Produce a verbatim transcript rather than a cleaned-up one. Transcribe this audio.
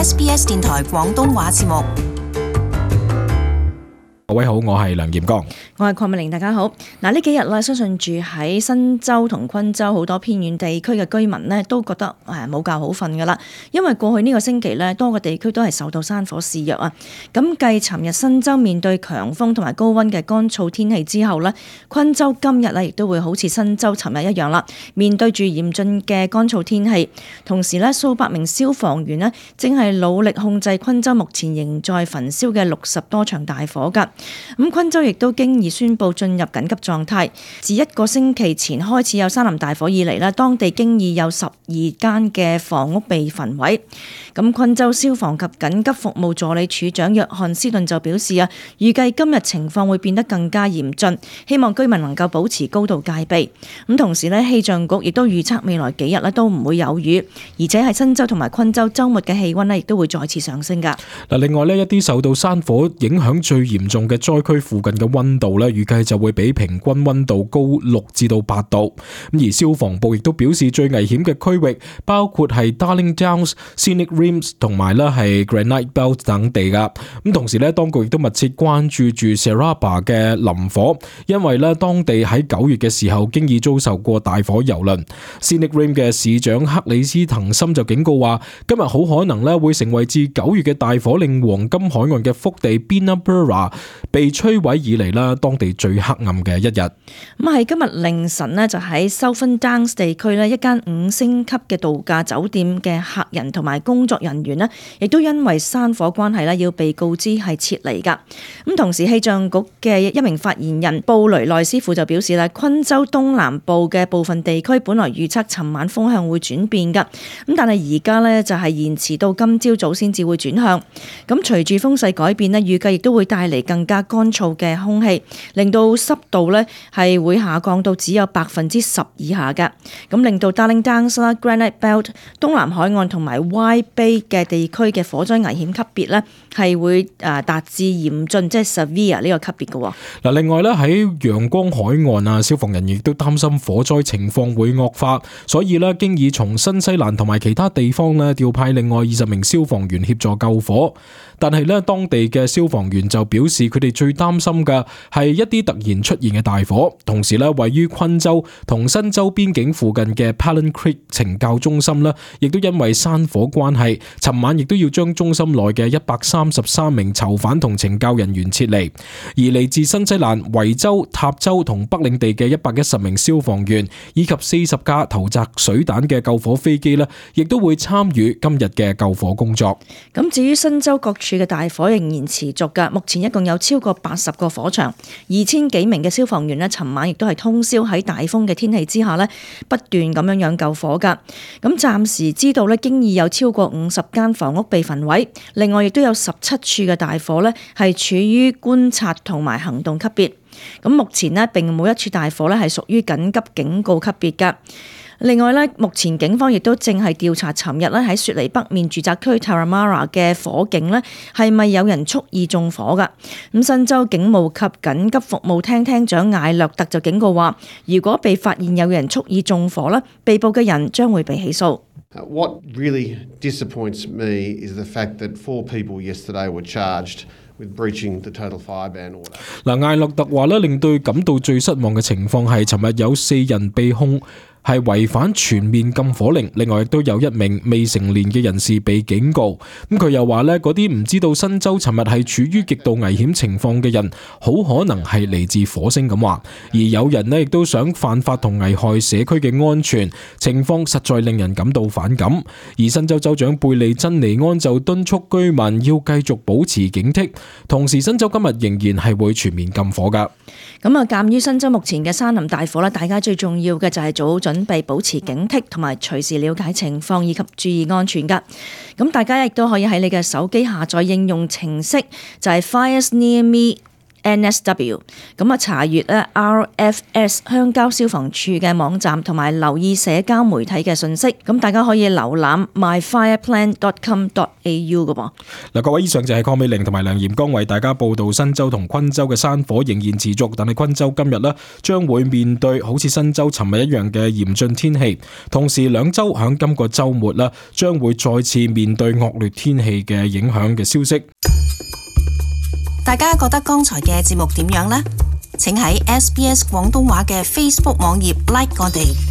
S B S 電台廣東話節目。各位好，我係梁劍剛，我係鄺美玲，大家好。嗱，呢幾日咧，相信住喺新州同昆州好多偏遠地區嘅居民呢，都覺得誒冇覺好瞓噶啦。因為過去呢個星期呢，多個地區都係受到山火肆虐啊。咁繼尋日新州面對強風同埋高溫嘅乾燥天氣之後呢，昆州今日呢亦都會好似新州尋日一樣啦，面對住嚴峻嘅乾燥天氣。同時呢，數百名消防員呢正係努力控制昆州目前仍在焚燒嘅六十多場大火噶。咁昆州亦都經已宣布進入緊急狀態。自一個星期前開始有山林大火以嚟咧，當地經已有十二間嘅房屋被焚毀。咁昆州消防及緊急服務助理處長約翰斯頓就表示啊，預計今日情況會變得更加嚴峻，希望居民能夠保持高度戒備。咁同時咧，氣象局亦都預測未來幾日咧都唔會有雨，而且喺新州同埋昆州週末嘅氣溫咧亦都會再次上升㗎。嗱，另外呢一啲受到山火影響最嚴重嘅災區附近嘅溫度咧，預計就會比平均溫度高六至到八度。咁而消防部亦都表示，最危險嘅區域包括係 Darling Downs、Scenic Rims 同埋咧係 Granite Belt 等地噶。咁同時咧，當局亦都密切關注住 Saraba 嘅林火，因為咧當地喺九月嘅時候經已遭受過大火蹂躪。Scenic Rim 嘅市長克里斯滕森就警告話，今日好可能咧會成為自九月嘅大火令黃金海岸嘅腹地 Binnaburra 被摧毀以嚟啦，當地最黑暗嘅一日。咁喺今日凌晨呢，就喺 Southern Downs 地區呢一間五星級嘅度假酒店嘅客人同埋工作人員呢，亦都因為山火關係呢，要被告知係撤離㗎。咁同時氣象局嘅一名發言人布雷內斯庫就表示啦，昆州東南部嘅部分地區本來預測尋晚風向會轉變㗎，咁但係而家呢，就係延遲到今朝早先至會轉向。咁隨住風勢改變呢，預計亦都會帶嚟更加乾燥嘅空氣，令到濕度呢係會下降到只有百分之十以下嘅，咁令到 Darling Downs 啦、Granite Belt、東南海岸同埋 Wide Bay 嘅地區嘅火災危險級別呢係會誒達至嚴峻，即係 severe 呢個級別嘅。嗱，另外咧喺陽光海岸啊，消防人員亦都擔心火災情況會惡化，所以咧經已從新西蘭同埋其他地方咧調派另外二十名消防員協助救火。但係咧，當地嘅消防員就表示，佢哋最擔心嘅係一啲突然出現嘅大火。同時咧，位於昆州同新州邊境附近嘅 Palin Creek 懲教中心咧，亦都因為山火關係，尋晚亦都要將中心內嘅一百三十三名囚犯同懲教人員撤離。而嚟自新西蘭、維州、塔州同北領地嘅一百一十名消防員，以及四十架投擲水彈嘅救火飛機咧，亦都會參與今日嘅救火工作。咁至於新州各處嘅大火仍然持續㗎，目前一共有超過八十個火場，二千幾名嘅消防員呢，尋晚亦都係通宵喺大風嘅天氣之下呢，不斷咁樣樣救火㗎。咁暫時知道呢，經已有超過五十間房屋被焚毀，另外亦都有十七處嘅大火呢係處於觀察同埋行動級別。咁目前呢，並冇一處大火呢係屬於緊急警告級別㗎。另外咧，目前警方亦都正係調查尋日咧喺雪梨北面住宅區 Taramara 嘅火警咧，係咪有人蓄意縱火㗎？咁新州警務及緊急服務廳廳長艾略特就警告話，如果被發現有人蓄意縱火咧，被捕嘅人將會被起訴。What really disappoints me is the fact that four people yesterday were charged with breaching the total fire ban order. 嗱，艾略特話咧，令對感到最失望嘅情況係，尋日有四人被控係違反全面禁火令，另外亦都有一名未成年嘅人士被警告。咁佢又話呢，嗰啲唔知道新州尋日係處於極度危險情況嘅人，好可能係嚟自火星咁話。而有人呢亦都想犯法同危害社區嘅安全，情況實在令人感到反感。而新州州長貝利珍尼安就敦促居民要繼續保持警惕，同時新州今日仍然係會全面禁火㗎。咁啊，鑑於新州目前嘅山林大火咧，大家最重要嘅就係做好準備，保持警惕，同埋隨時了解情況以及注意安全㗎。咁大家亦都可以喺你嘅手機下載應用程式，就係 Fires Near Me N S W。咁啊，查閲咧 R F S 鄉郊消防處嘅網站，同埋留意社交媒體嘅信息。咁大家可以瀏覽 my fire plan dot com dot a u 嘅噃。嗱，各位，以上就係鄺美玲同埋梁炎光為大家報道新州同昆州嘅山火仍然持續，但係昆州今日呢將會面對好似新州尋日一樣嘅嚴峻天氣，同時兩州響今個週末呢將會再次面對惡劣天氣嘅影響嘅消息。大家覺得剛才嘅節目點樣呢？請喺 S B S 廣東話嘅 Facebook 網頁 like 我哋。